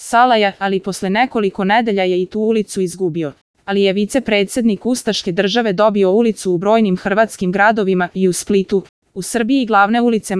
Salaja, ali posle nekoliko nedelja je i tu ulicu izgubio. Ali je vicepredsjednik ustaške države dobio ulicu u brojnim hrvatskim gradovima i u Splitu. U Srbiji glavne ulice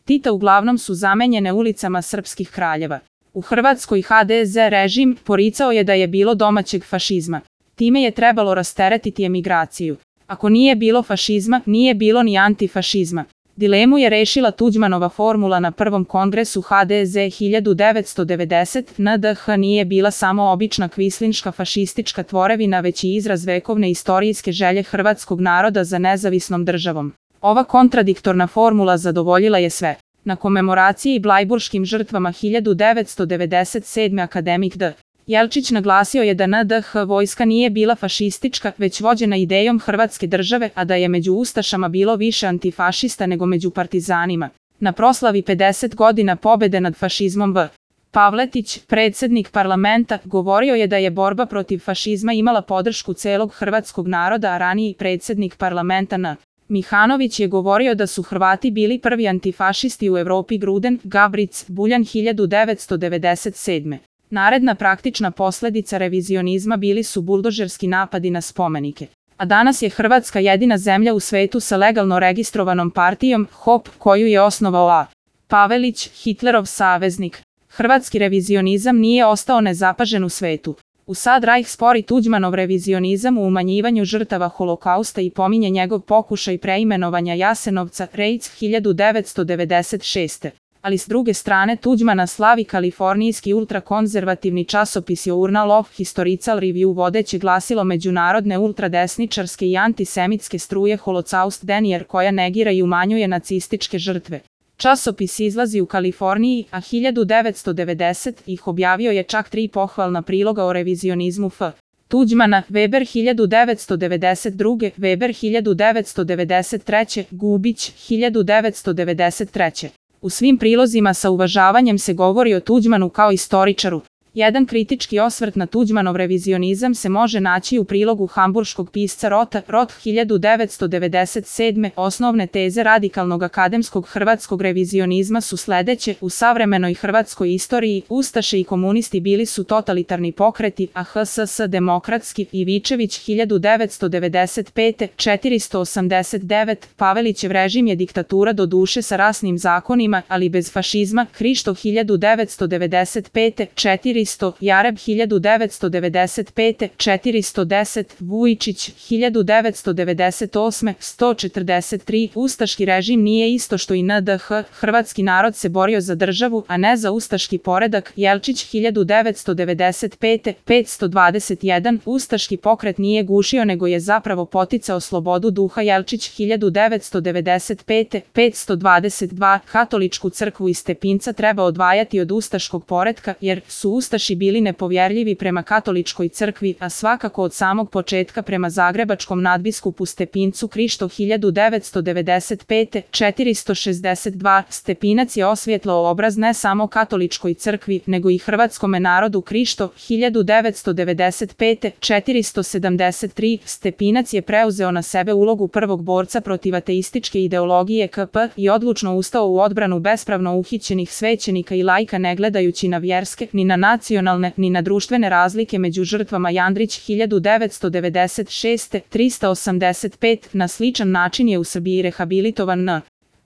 Tita uglavnom su zamenjene ulicama srpskih kraljeva. U Hrvatskoj HDZ režim poricao je da je bilo domaćeg fašizma. Time je trebalo rasteretiti emigraciju. Ako nije bilo fašizma, nije bilo ni antifašizma. Dilemu je rešila Tuđmanova formula na prvom kongresu HDZ 1990. NDH nije bila samo obična kvislinška fašistička tvorevina, već i izraz vekovne istorijske želje hrvatskog naroda za nezavisnom državom. Ova kontradiktorna formula zadovoljila je sve. Na komemoraciji blajburškim žrtvama 1997. akademik D. Jelčić naglasio je da NDH vojska nije bila fašistička, već vođena idejom Hrvatske države, a da je među ustašama bilo više antifašista nego među partizanima. Na proslavi 50 godina pobede nad fašizmom V. Pavletić, predsjednik parlamenta, govorio je da je borba protiv fašizma imala podršku celog hrvatskog naroda, a raniji predsjednik parlamenta N. Mihanović je govorio da su Hrvati bili prvi antifašisti u Evropi. Gruden, Gabric, Buljan 1997. Naredna praktična posljedica revizionizma bili su buldožerski napadi na spomenike. A danas je Hrvatska jedina zemlja u svetu sa legalno registrovanom partijom HOP, koju je osnovao A. Pavelić, Hitlerov saveznik. Hrvatski revizionizam nije ostao nezapažen u svetu. U sad Rajh spori Tuđmanov revizionizam u umanjivanju žrtava holokausta i pominje njegov pokušaj preimenovanja Jasenovca, Rejc 1996. Ali s druge strane Tuđmana slavi kalifornijski ultrakonzervativni časopis Journal of Historical Review, vodeće glasilo međunarodne ultradesničarske i antisemitske struje Holocaust Denier, koja negira i umanjuje nacističke žrtve. Časopis izlazi u Kaliforniji, a 1990 ih objavio je čak 3 pohvalna priloga o revizionizmu F. Tuđmana, Weber 1992, Weber 1993, Gubić 1993. U svim prilozima sa uvažavanjem se govori o Tuđmanu kao istoričaru. Jedan kritički osvrt na Tuđmanov revizionizam se može naći u prilogu hamburškog pisca Rota, Rot 1997. Osnovne teze radikalnog akademskog hrvatskog revizionizma su sledeće: u savremenoj hrvatskoj istoriji ustaše i komunisti bili su totalitarni pokreti, a HSS demokratski. Ivičević 1995. 489. Pavelićev režim je diktatura, do duše sa rasnim zakonima, ali bez fašizma. Hrišto 1995. 400. Jareb 1995. 410. Vujičić 1998. 143. Ustaški režim nije isto što i NDH. Hrvatski narod se borio za državu, a ne za ustaški poredak. Jelčić 1995. 521. Ustaški pokret nije gušio, nego je zapravo poticao slobodu duha. Jelčić 1995. 522. Katoličku crkvu iz Stepinca treba odvajati od ustaškog poretka, jer su ustaši bili nepovjerljivi prema katoličkoj crkvi, a svakako od samog početka prema zagrebačkom nadbiskupu Stepincu. Krišto 1995. 462. Stepinac je osvjetlao obraz ne samo katoličkoj crkvi, nego i hrvatskome narodu. Krišto 1995. 473. Stepinac je preuzeo na sebe ulogu prvog borca protiv ateističke ideologije KP i odlučno ustao u odbranu bespravno uhićenih svećenika i laika, ne gledajući na vjerske, ni na nacionalne, ni na društvene razlike među žrtvama. Jandrić 1996. 385. Na sličan način je u Srbiji rehabilitovan N.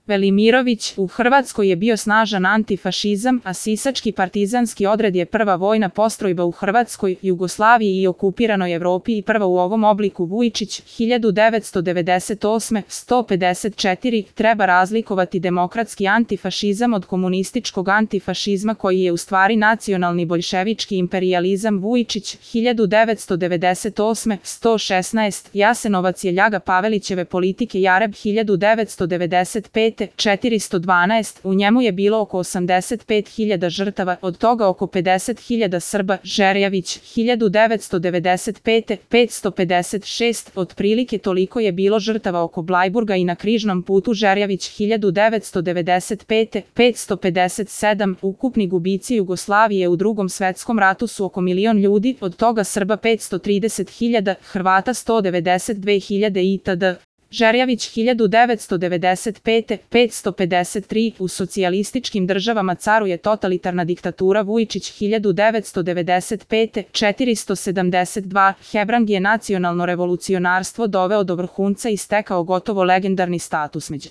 Velimirović. U Hrvatskoj je bio snažan antifašizam, a sisački partizanski odred je prva vojna postrojba u Hrvatskoj, Jugoslaviji i okupiranoj Evropi i prva u ovom obliku. Vujičić 1998. 154. Treba razlikovati demokratski antifašizam od komunističkog antifašizma, koji je u stvari nacionalni boljševički imperijalizam. Vujičić 1998. 116. Jasenovac je ljaga Pavelićeve politike. Jareb 1995. 412. U njemu je bilo oko 85.000 žrtava, od toga oko 50.000 Srba. Žerjavić 1995. 556. Otprilike toliko je bilo žrtava oko Blajburga i na križnom putu. Žerjavić 1995. 557. Ukupni gubici Jugoslavije u Drugom svetskom ratu su oko 1.000.000 ljudi, od toga Srba 530.000, Hrvata 192.000 itd. Žerjavić 1995. 553. U socijalističkim državama caruje totalitarna diktatura. Vujičić 1995. 472. Hebrang je nacionalno revolucionarstvo doveo do vrhunca i stekao gotovo legendarni status među